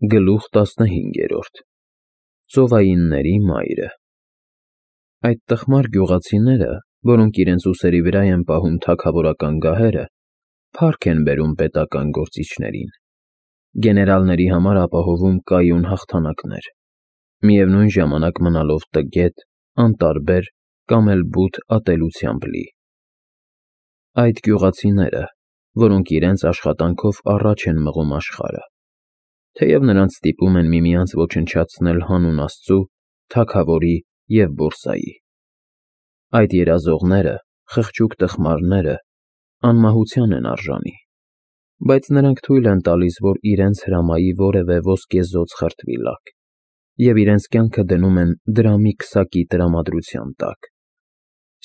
Գլուխ 15 Ծովայինների մայրը Այդ տխմար գյուղացիները, որոնք իրենց ուսերի վրա են պահում թագավորական գահերը, փառք են բերում պետական գործիչներին, գեներալների համար ապահովում կայուն հաղթանակներ, միևնույն ժամանակ մնալով տգետ, անտարբեր կամ էլ բութ ատելությամբ լի։ Այդ գյուղացիները, որոնք իրենց աշխատանքով առաջ են մղում աշխարհը, թեև նրանց ստիպում են միմյանց ոչնչացնել հանուն Աստծու, թագավորի և բորսայի։ Այդ երազողները, խղճուկ տխմարները, անմահության են արժանի, բայց նրանք թույլ են տալիս, որ իրենց հրամայի որևէ ոսկեզօծ խրտվի լակ, և իրենց կյանքը դնում են դրամի քսակի տրամադրության տակ։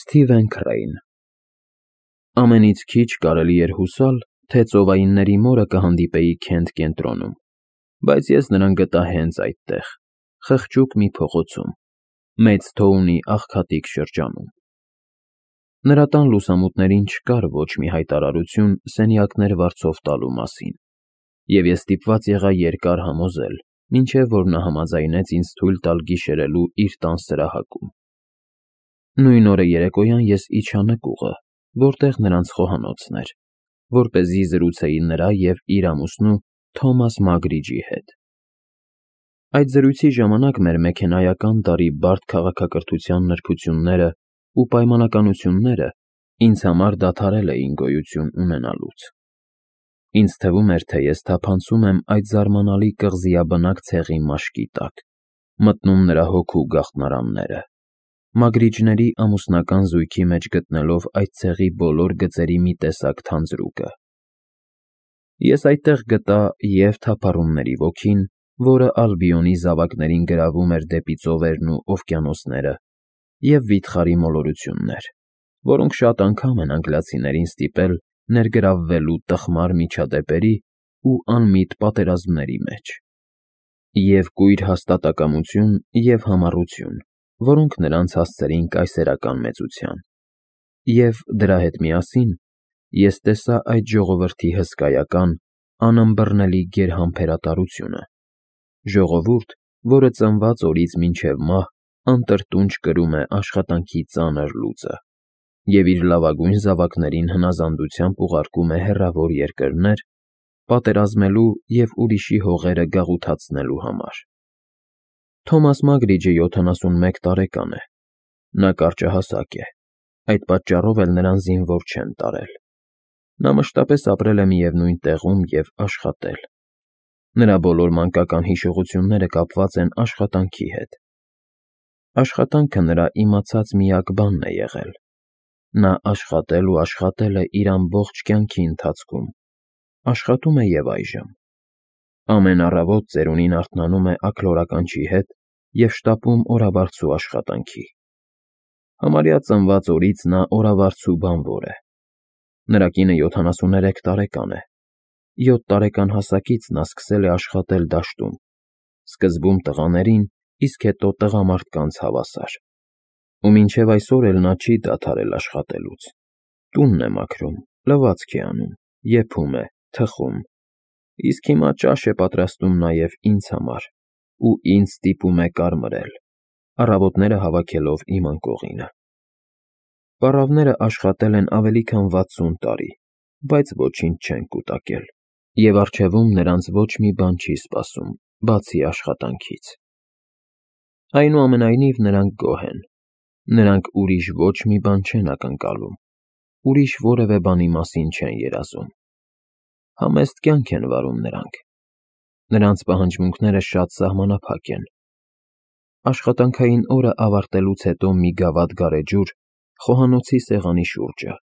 Սթիվեն Քրեյն Ամենից քիչ կարելի էր հուսալ, թե ծովայինների մորը կհանդիպեի Քենթ կենտրոնում, բայց ես նրան գտա հենց այդտեղ, խղճուկ մի փողոցում, Մեյդսթոունի աղքատիկ շրջանում։ Նրա տան լուսամուտներին չկար ոչ մի հայտարարություն սենյակներ վարձով տալու մասին, և ես ստիպված եղա երկար համոզել, մինչև որ նա համաձայնեց ինձ թույլ տալ գիշերելու իր տան սրահակում։ Նույն օրը երեկոյան ես իջա նկուղը, որտեղ նրանց խոհանոցն էր, որպեսզի զրուցեի նրա և իր ամուսնու Թոմաս Մագրիջի հետ։ Այդ զրույցի ժամանակ մեր մեքենայական տարի բարդ քաղաքակրթության նրբությունները ու պայմանականությունները ինձ համար դադարել էին գոյություն ունենալուց։ Ինձ թվում էր, թե ես թափանցում եմ այդ զարմանալի կղզիաբնակ ցեղի մաշկի տակ, մտնում նրա հոգու գաղտնարանները, Մագրիջների ամուսնական զույգի մեջ գտնելով այդ ցեղի բոլոր գծերի մի տեսակ թանձրուկը։ Ես այդտեղ գտա և թափառումների ոգին, որը Ալբիոնի զավակներին գրավում էր դեպի ծովերն ու օվկիանոսները, և վիթխարի մոլորություններ, որոնք շատ անգամ են անգլիացիներին ստիպել ներգրավվելու տխմար միջադեպերի ու անմիտ պատերազմների մեջ, և կույր հաստատակամություն և համառություն, որոնք նրանց հասցրին կայսերական մեծության, և դրա հետ միասին ես տեսա այդ ժողովրդի հսկայական, անըմբռնելի գերհամբերատարությունը, ժողովուրդ, որը ծնված օրից մինչև մահ անտրտունջ կրում է աշխատանքի ծանր լուծը և իր լավագույն զավակներին հնազանդությամբ ուղարկում է հեռավոր երկրներ, պատերազմելու և ուրիշի հողերը գաղութացնելու համար։ Թոմաս Մագրիջը 71 տարեկան է, նա կարճահասակ է, այդ պատճառով էլ նրան զինվոր չեն տարել։ Նա մշտապես ապրել է միևնույն տեղում և աշխատել։ Նրա բոլոր մանկական հիշողությունները կապված են աշխատանքի հետ։ Աշխատանքը նրա իմացած միակ բանն է եղել։ Նա աշխատել ու աշխատել է իր ամբողջ կյանքի ընթացքում, աշխատում է և այժմ։ Ամեն առավոտ ծերունին արթնանում է աքլորականչի հետ և շտապում օրավարձու աշխատանքի։ Համարյա ծնված օրից նա օրավարձու բանվոր է։ Նրա կինը 73 տարեկան է։ 7 տարեկան հասակից նա սկսել է աշխատել դաշտում, սկզբում տղաներին, իսկ հետո տղամարդկանց հավասար։ Ու մինչև այսօր էլ նա չի դադարել աշխատելուց։ Տունն է մաքրում, լվացք է անում, եփում է, թխում, իսկ հիմա ճաշ է պատրաստում նաև ինձ համար ու ինձ ստիպում է կարմրել, առավոտները հավաքելով իմ անկողինը։ Պառավները աշխատել են ավելի քան 60 տարի, բայց ոչինչ չեն կուտակել, և առջևում նրանց ոչ մի բան չի սպասում, բացի աշխատանքից։ Այնուամենայնիվ նրանք գոհ են։ Նրանք ուրիշ ոչ մի բան չեն ակնկալում, ուրիշ որևէ բանի մասին չեն երազում։ Համեստ կյանք են վարում նրանք։ Նրանց պահանջմունքները շատ սահմանափակ են։ Աշխատանքային օրը ավարտելուց հետո մի գավաթ գարեջուր խոհանոցի սեղանի շուրջը,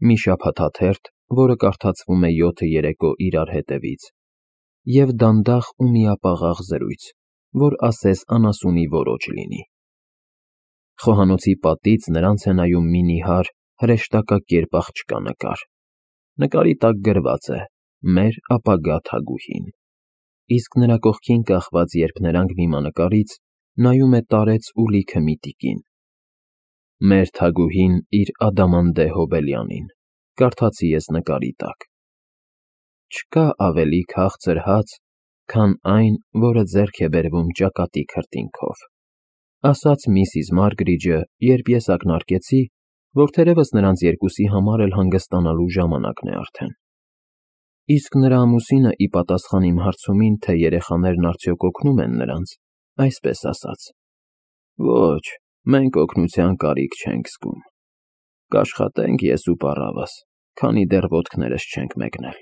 մի շաբաթաթերթ, որը կարդացվում է 7 երեկո իրար հետևից, և դանդաղ ու միապաղաղ զրույց, որ ասես անասունի ոռոջ լինի։ Խոհանոցի պատից նրանց է նայում մի նիհար, հրեշտակակերպ աղջկա նկար։ Նկարի տակ գրված է «Մեր ապագա թագուհին», իսկ նրա կողքին կախված երփներանգ դիմանկարից նայում է տարեց ու լիքը մի տիկին։ «Մեր թագուհին իր ադամանդե հոբելյանին», կարդացի ես նկարի տակ։ Չկա ավելի քաղցր հաց, քան այն, որը ձեռք է բերվում ճակատի քրտինքով, ասաց միսիս Մարգրիջը, երբ ես ակնարկեցի, որ թերևս նրանց երկուսի համար էլ հանգստանալու ժամանակն է արդեն։ Իսկ նրա ամուսինը ի պատասխան իմ հարցումին, թե երեխաներն արդյոք օգնում են նրանց, այսպես ասաց. Ոչ, մենք օգնության կարիք չենք զգում։ Կաշխատենք ես ու պառավս, քանի դեռ ոտքներս չենք մեկնել։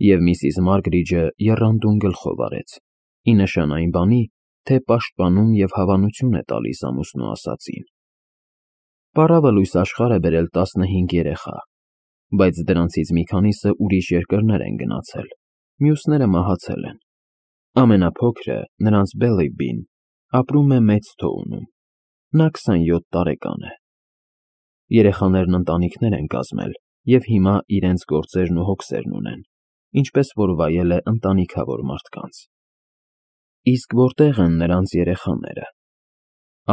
Եվ միսիս Մարգրիջը եռանդուն գլխով արեց, ի նշան այն բանի, թե պաշտպանում և հավանություն է տալիս ամուսնու ասածին։ Պառավը լույս աշխարհ է բերել 15 երեխա, բայց դրանցից մի քանիսը ուրիշ երկրներ են գնացել, մյուսները մահացել են։ Ամենափոքրը, նրանց Բելիբին, ապրում է Մեծ Թոունում, նա 27 տարեկան է։ Երեխաներն ընտանիքներ են կազմել և հիմա իրենց գործերն ու հոգսերն ունեն, ինչպես որ վայել է ընտանիքավոր մարդկանց։ Իսկ որտե՞ղ են նրանց երեխաները։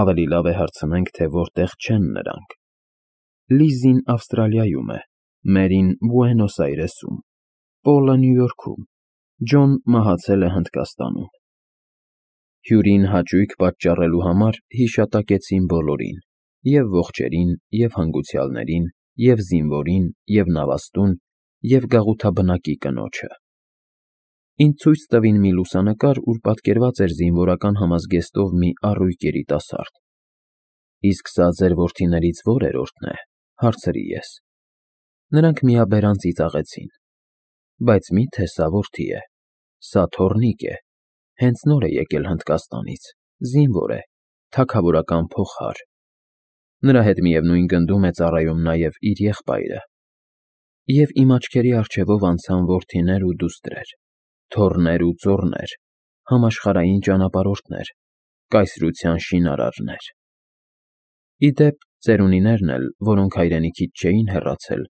Ավելի լավ է հարցնենք, թե որտեղ չեն նրանք։ Լիզին Ավստրալիայում է, Մերին Բուենոս Այրեսում, Պոլը Նյու Յորքում, Ջոն մահացել է Հնդկաստանում։ Հյուրին հաճույք պատճառելու համար հիշատակեցին բոլորին, և ողջերին, և հանգուցյալներին, և զինվորին, և նավաստուն, և գաղութաբնակի կնոջը։ Ինձ ցույց տվին մի լուսանկար, ուր պատկերված էր զինվորական համազգեստով մի առույգ երիտասարդ։ Իսկ սա ձեր որդիներից ո՞րերորդն է, հարցրի ես։ Նրանք միաբերան ծիծաղեցին։ Բայց մի՞թե սա որդի է, սա թոռնիկ է, հենց նոր է եկել Հնդկաստանից, զինվոր է, թագավորական փողհար։ Նրա հետ միևնույն գնդում է ծառայում նաև իր եղբայրը։ Եվ իմ աչքերի առջևով անցան որդիներ ու դուստրեր, թոռներ ու ծոռներ, համաշխարհային ճանապարհորդներ, կայսրության շինարարներ։ Ի դեպ, ծերունիներն էլ, որոնք հայրենիքից չէին հեռացել,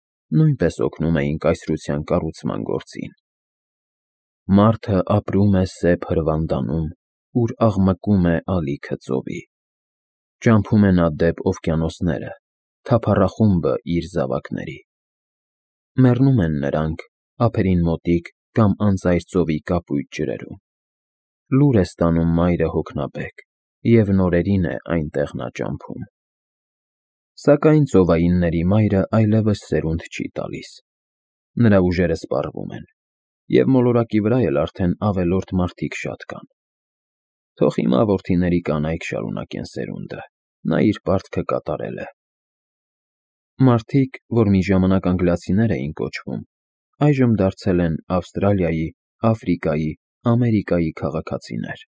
նույնպես օգնում էին կայսրության կառուցման գործին։ Մարդը ապրում է սև հրվանդանում, ուր աղմկում է ալիքը ծովի։ Ճամփում է նա դեպ օվկիանոսները, թափառախումբը իր զավակների։ Մեռնում են նրանք, ափերին մոտիկ կամ անծայր ծովի կապույտ ջրերում։ Լուր է ստանում մայրը հոգնաբեկ, և նորերին է այնտեղ նա ճամփում։ Սակայն ծովայինների մայրը այլևս սերունդ չի տալիս։ Նրա ուժերը սպառվում են, և մոլորակի վրա էլ արդեն ավելորդ մարդիկ շատ կան։ Թող հիմա որդիների կանայք շարունակեն սերունդը, նա իր պարտքը կատարել է։ Մարդիկ, որ մի ժամանակ անգլիացիներ էին կոչվում, այժմ դարձել են Ավստրալիայի, Աֆրիկայի, Ամերիկայի քաղաքացիներ։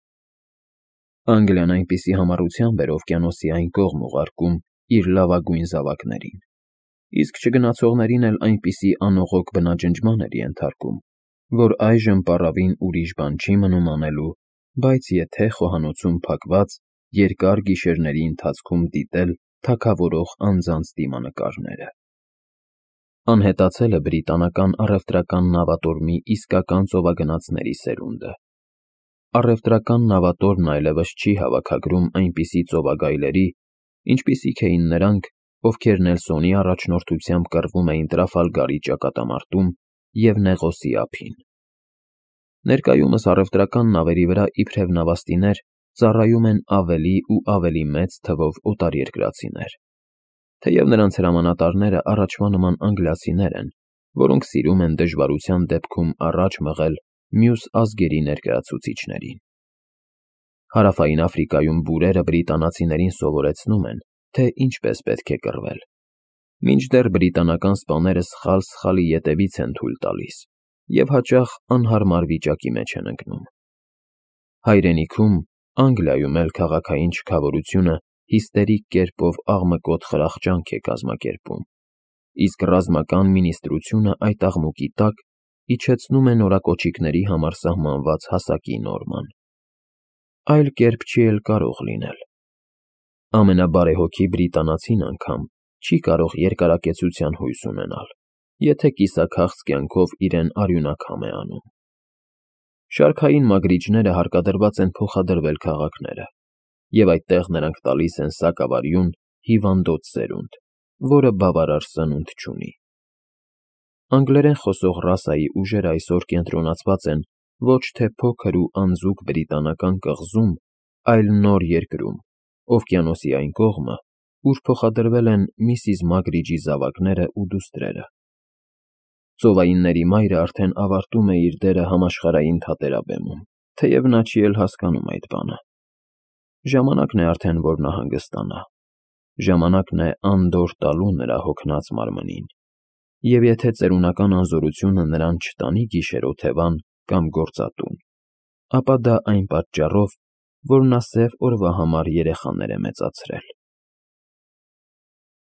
Անգլիան այնպիսի համառությամբ էր օվկիանոսի այն կողմ ուղարկում իր լավագույն զավակներին, իսկ չգնացողներին էլ այնպիսի անողոք բնաջնջման էր ենթարկում, որ այժմ պառավին ուրիշ բան չի մնում անելու, բայց եթե խոհանոցում փակված երկար գիշերների ընթացքում դիտել թագավորող անձանց դիմանկարները։ Անհետացել է բրիտանական առևտրական նավատորմի իսկական ծովագնացների սերունդը։ Առևտրական նավատորմն այլևս չի հավաքագրում այնպիսի ծովագայլերի, ինչպիսիք էին նրանք, ովքեր Նելսոնի առաջնորդությամբ կռվում էին Տրաֆալգարի ճակատամարտում և Նեղոսի ափին։ Ներկայումս առևտրական նավերի վրա իբրև նավաստիներ ծառայում են ավելի ու ավելի մեծ թվով օտարերկրացիներ, թեև նրանց հրամանատարները առաջվա նման անգլիացիներ են, որոնք սիրում են դժվարության դեպքում առաջ մղել մյուս ազգերի ներկայացուցիչներին։ Հարավային Աֆրիկայում բուրերը բրիտանացիներին սովորեցնում են, թե ինչպես պետք է կռվել, մինչդեռ բրիտանական սպաները սխալ-սխալի ետևից են թույլ տալիս և հաճախ անհարմար վիճակի մեջ են ընկնում։ Հայրենիքում, Անգլիայում էլ քաղաքային չքավորությունը հիստերիկ կերպով աղմկոտ խրախճանք է կազմակերպում, իսկ ռազմական մինիստրությունը այդ աղմուկի տակ իջեցնում է նորակոչիկների համար սահմանված հասակի նորման։ Այլ կերպ չի էլ կարող լինել։ Ամենաբարեհոգի բրիտանացին անգամ չի կարող երկարակեցության հույս ունենալ, եթե կիսաքաղց կյանքով իրեն արյունակամ է անում։ Շարքային մագրիչները հարկադրված են փոխադրվել քաղաքները, և այդտեղ նրանք տալիս են սակավարյուն, հիվանդոտ սերունդ, որը բավարար սնունդ չունի։ Անգլերեն խոսող ռասայի ուժերը այսօր կենտրոնացված են ոչ թե փոքր ու անձուկ բրիտանական կղզում, այլ նոր երկրում, օվկիանոսի այն կողմը, ուր փոխադրվել են միսիս Մագրիջի զավակներն ու դուստրերը։ Ծովայինների մայրը արդեն ավարտում է իր դերը համաշխարհային թատերաբեմում, թեև նա չի էլ հասկանում այդ բանը։ Ժամանակն է արդեն, որ նա հանգստանա, ժամանակն է անդորր տալու նրա հոգնած մարմնին, և եթե ծերունական անզորությունը նրան չտանի գիշեր֊օթևան կամ գործատուն, ապա դա այն պատճառով, որ նա սև օրվա համար երեխաներ է մեծացրել։